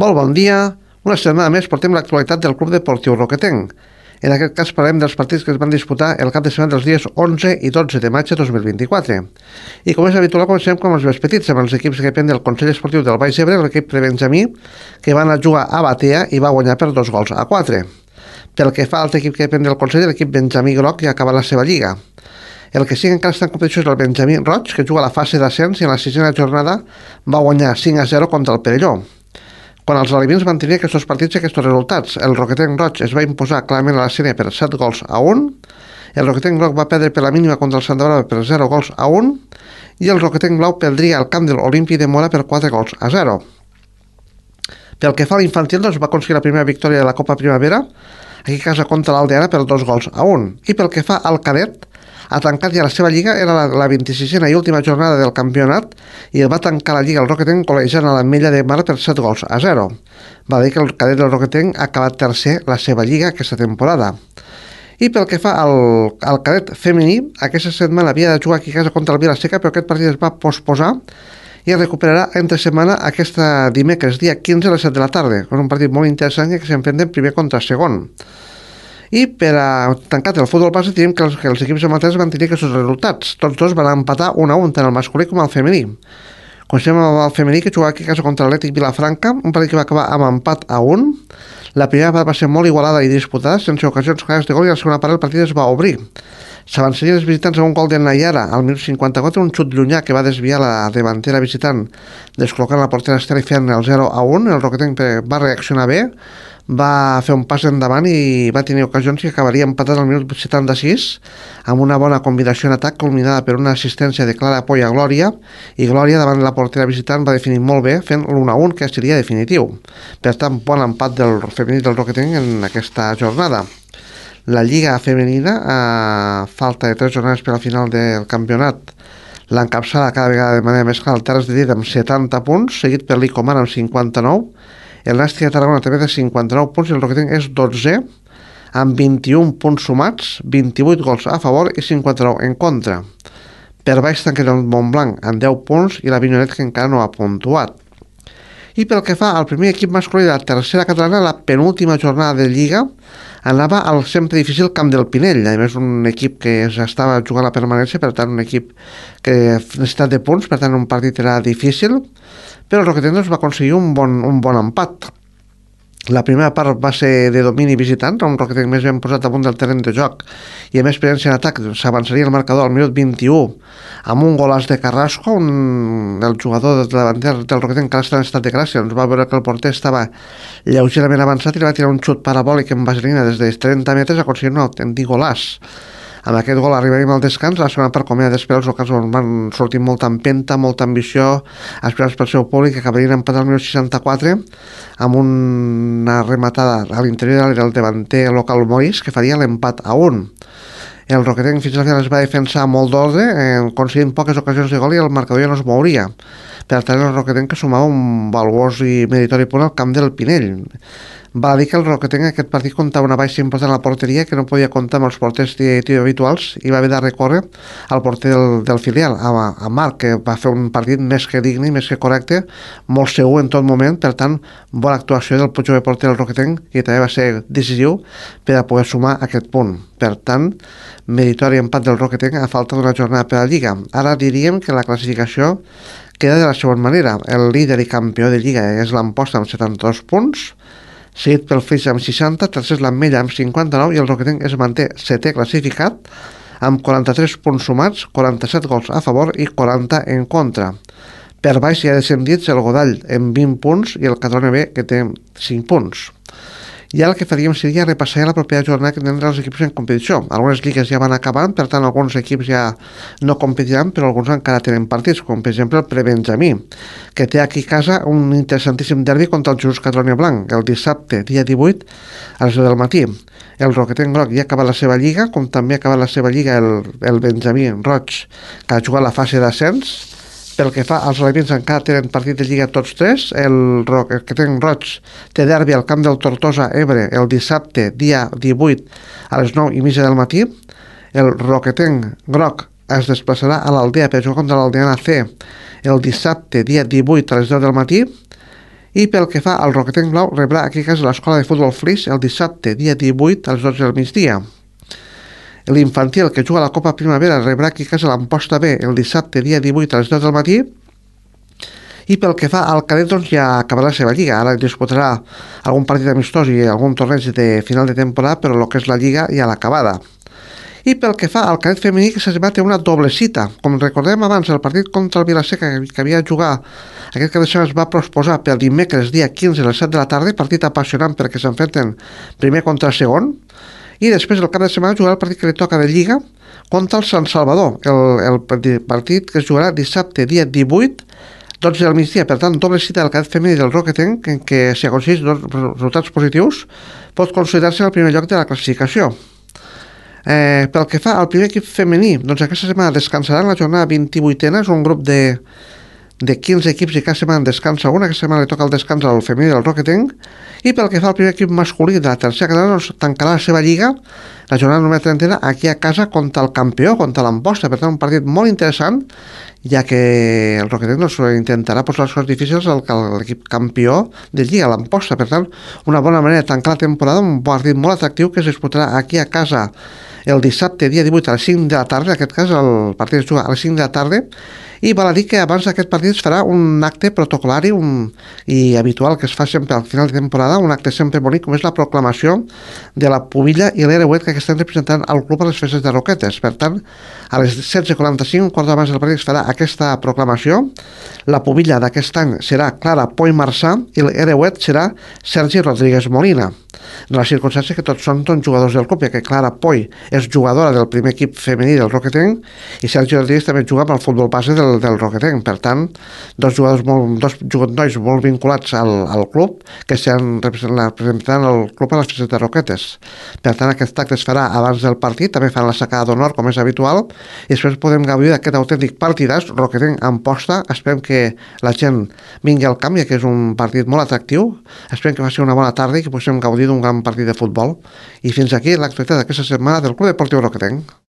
Molt bon dia. Una setmana més portem l'actualitat del Club Deportiu Roquetenc. En aquest cas parlem dels partits que es van disputar el cap de setmana dels dies 11 i 12 de maig de 2024. I com és habitual, comencem amb els més petits, amb els equips que depèn del Consell Esportiu del Baix Ebre, l'equip de Benjamí, que van a jugar a Batea i va guanyar per 2-4. Pel que fa a l'altre equip que depèn del Consell, l'equip Benjamí Groc ja ha acabat la seva lliga. El que sí que encara està en competició és el Benjamí Roig, que juga a la fase d'ascens i en la sisena jornada va guanyar 5-0 contra el Perelló. Quan els alevins van tenir aquests partits i aquests resultats, el Roquetenc Roig es va imposar clarament a la sèrie per 7-1, el Roquetenc Groc va perdre per la mínima contra el Santa Brava per 0-1 i el Roquetenc Blau perdria al camp de l'Olímpic de Mora per 4-0. Pel que fa a l'infantil, doncs va aconseguir la primera victòria de la Copa Primavera, aquí a casa contra l'Aldeana per 2-1. I pel que fa al cadet, ha tancat ja la seva lliga, era la 26a i última jornada del campionat, i va tancar la lliga el Roquetenc col·legiant a l'Ametlla de Mar per 7-0. Va dir que el cadet del Roquetenc ha acabat tercer la seva lliga aquesta temporada. I pel que fa al cadet femení, aquesta setmana havia de jugar aquí a casa contra el Vilaseca, però aquest partit es va posposar i es recuperarà entre setmana aquesta dimecres, dia 15 a les 7 de la tarda. És un partit molt interessant que s'enfrenten primer contra segon. I per a tancar el futbol base tenim que els equips amateurs van tenir aquests resultats. Tots dos van empatar 1-1, tant el masculí com el femení. Comencem amb el femení, que jugava aquí a casa contra l'Atlètic Vilafranca, un partit que va acabar amb empat a 1. La primera part va ser molt igualada i disputada, sense ocasions clares de gol, i a la segona part el partit es va obrir. S'avançarien els visitants amb un gol de Nayara al minut 54, un xut llunyà que va desviar la davantera visitant, descol·locant la portera Estela i fent el 0-1. El Roquetenc va reaccionar bé, va fer un pas endavant i va tenir ocasions i acabaria empatat al minut 76 amb una bona combinació en atac culminada per una assistència de Clara Poy a Glòria, i Glòria davant la portera visitant va definir molt bé fent l'1-1, que seria definitiu. Per tant, bon empat del femení del Roquetenc en aquesta jornada. La lliga femenina, a falta de 3 jornades per al final del campionat, l'encapçala cada vegada de manera més clara el Terres de Lleida amb 70 punts, seguit per l'Icomar amb 59, el Nàstic de Tarragona també de 59 punts i el Roquetenc és 12 amb 21 punts sumats, 28 gols a favor i 59 en contra. Per baix tanca el Montblanc amb 10 punts i la Vinyonet, que encara no ha puntuat. I pel que fa al primer equip masculí de la tercera catalana, la penúltima jornada de Lliga anava al sempre difícil Camp del Pinell, a més un equip que estava jugant la permanència, per tant un equip que necessitat de punts, per tant un partit era difícil, però el Roquetenc va aconseguir un bon empat. La primera part va ser de domini visitant, un Roquetenc més ben posat damunt del terreny de joc i amb experiència en atac. S'avançaria el marcador al minut 21 amb un golàs de Carrasco, el jugador davanter del Roquetenc que està en estat de gràcia. Ens va veure que el porter estava lleugerament avançat i li va tirar un xut parabòlic en vaselina des de 30 metres, aconseguint un autèntic golàs. Amb aquest gol arribaríem al descans. La segona part, com era d'esperar, els locals van sortir molta empenta, molta ambició, esperats pel seu públic, que acabarien empatant al minut 64 amb una rematada a l'interior del davanter local Moris, que faria l'empat a 1. El Roquetenc fins al final es va defensar molt d'ordre, aconseguint poques ocasions de gol, i el marcador ja no es mouria. Per tant, el Roquetenc que sumava un valuós i meritori punt al Camp del Pinell. Va dir que el Roquetenc aquest partit comptava una baixa important a la porteria, que no podia comptar amb els porters habituals, i va haver de recórrer al porter del filial, a Marc, que va fer un partit més que digne i més que correcte, molt segur en tot moment. Per tant, bona actuació del jove porter del Roquetenc, que també va ser decisiu per a poder sumar aquest punt. Per tant, meritori empat del Roquetenc a falta d'una jornada per a la Lliga. Ara diríem que la classificació queda de la següent manera. El líder i campió de Lliga és l'Amposta amb 72 punts, seguit pel Flix amb 60, tercer és l'Ametlla amb 59 i el Roquetenc es manté setè classificat amb 43 punts sumats, 47 gols a favor i 40 en contra. Per baix hi ha descendits el Godall amb 20 punts i el Catalunya B, que té 5 punts. I ara el que faríem seria repassar la propera jornada que tindran els equips en competició. Algunes lligues ja van acabant, per tant alguns equips ja no competiran, però alguns encara tenen partits, com per exemple el Prebenjamí, que té aquí a casa un interessantíssim derbi contra el Jesús Catalunya Blanc, el dissabte, dia 18, a les 10 del matí. El Roquetenc Groc ja ha acabat la seva lliga, com també ha acabat la seva lliga el Benjamí Roig, que ha jugat la fase d'ascens. Pel que fa als alevins, encara tenen partit de Lliga tots tres. El Roquetenc Roig té derbi al camp del Tortosa Ebre el dissabte, dia 18, a les 9:30 del matí. El Roquetenc Groc es desplaçarà a l'Aldea per jugar contra l'Aldeana C el dissabte, dia 18, a les 10 del matí. I pel que fa al Roquetenc Blau, rebrà aquí a casa l'Escola de Futbol Flix el dissabte, dia 18, a les 12 del migdia. L'infantil, que juga a la Copa Primavera, rebrà aquí a casa l'Amposta B el dissabte, dia 18, a les 10 del matí. I pel que fa al cadet, doncs ja acabarà la seva lliga. Ara disputarà algun partit amistós i algun torneig de final de temporada, però el que és la lliga ja l'ha acabada. I pel que fa al cadet femení, que s'ha té una doble cita. Com recordem abans, el partit contra el Vilaseca que havia de jugar aquest cap de setmana es va posposar per dimecres, dia 15 a les 7 de la tarda, partit apassionant perquè s'enfrenten primer contra segon, i després el cap de setmana jugarà el partit que li toca de Lliga contra el Sant Salvador, el partit que es jugarà dissabte, dia 18, 12 del migdia. Per tant, doble cita del cadet femení del Roquetenc, en què si aconsegueix dos resultats positius pot considerar-se el primer lloc de la classificació. Pel que fa al primer equip femení, doncs aquesta setmana descansaran la jornada 28a, és un grup de 15 equips i cada setmana descansa una. Aquesta setmana li toca el descans al femení del Roquetenc. I pel que fa al primer equip masculí de la tercera catalana, doncs tancarà la seva lliga la jornada número 30 aquí a casa contra el campió, contra l'Amposta. Per tant, un partit molt interessant, ja que el Roquetenc doncs, intentarà posar les coses difícils a l'equip campió de lliga, l'Amposta. Per tant, una bona manera de tancar la temporada, un partit molt atractiu que es disputarà aquí a casa el dissabte, dia 18, a les 5 de la tarda. En aquest cas, el partit es juga a les 5 de la tarda. I val a dir que abans d'aquest partit es farà un acte protocolari i habitual que es fa sempre al final de temporada, un acte sempre bonic, com és la proclamació de la Pubilla i l'Ereuet que estan representant al club a les festes de Roquetes. Per tant, a les 16:45, un quart d'hora abans del partit, es farà aquesta proclamació. La Pubilla d'aquest any serà Clara Poi Marçà i l'Ereuet serà Sergi Rodríguez Molina. En la circumstància que tots són jugadors del club, ja que Clara Poi és jugadora del primer equip femení del Roquetenc i Sergi Rodríguez també juga amb el futbol base del Roquetenc. Per tant, dos nois molt vinculats al club que estan representant el club a les festes de Roquetes. Per tant, aquest acte es farà abans del partit, també fan la sacada d'honor com és habitual, i després podem gaudir d'aquest autèntic partidàs Roquetenc-Amposta. Esperem que la gent vingui al camp, ja que és un partit molt atractiu. Esperem que faci una bona tarda i que puguem gaudir d'un gran partit de futbol. I fins aquí l'actualitat d'aquesta setmana del Club Deportiu Roquetenc.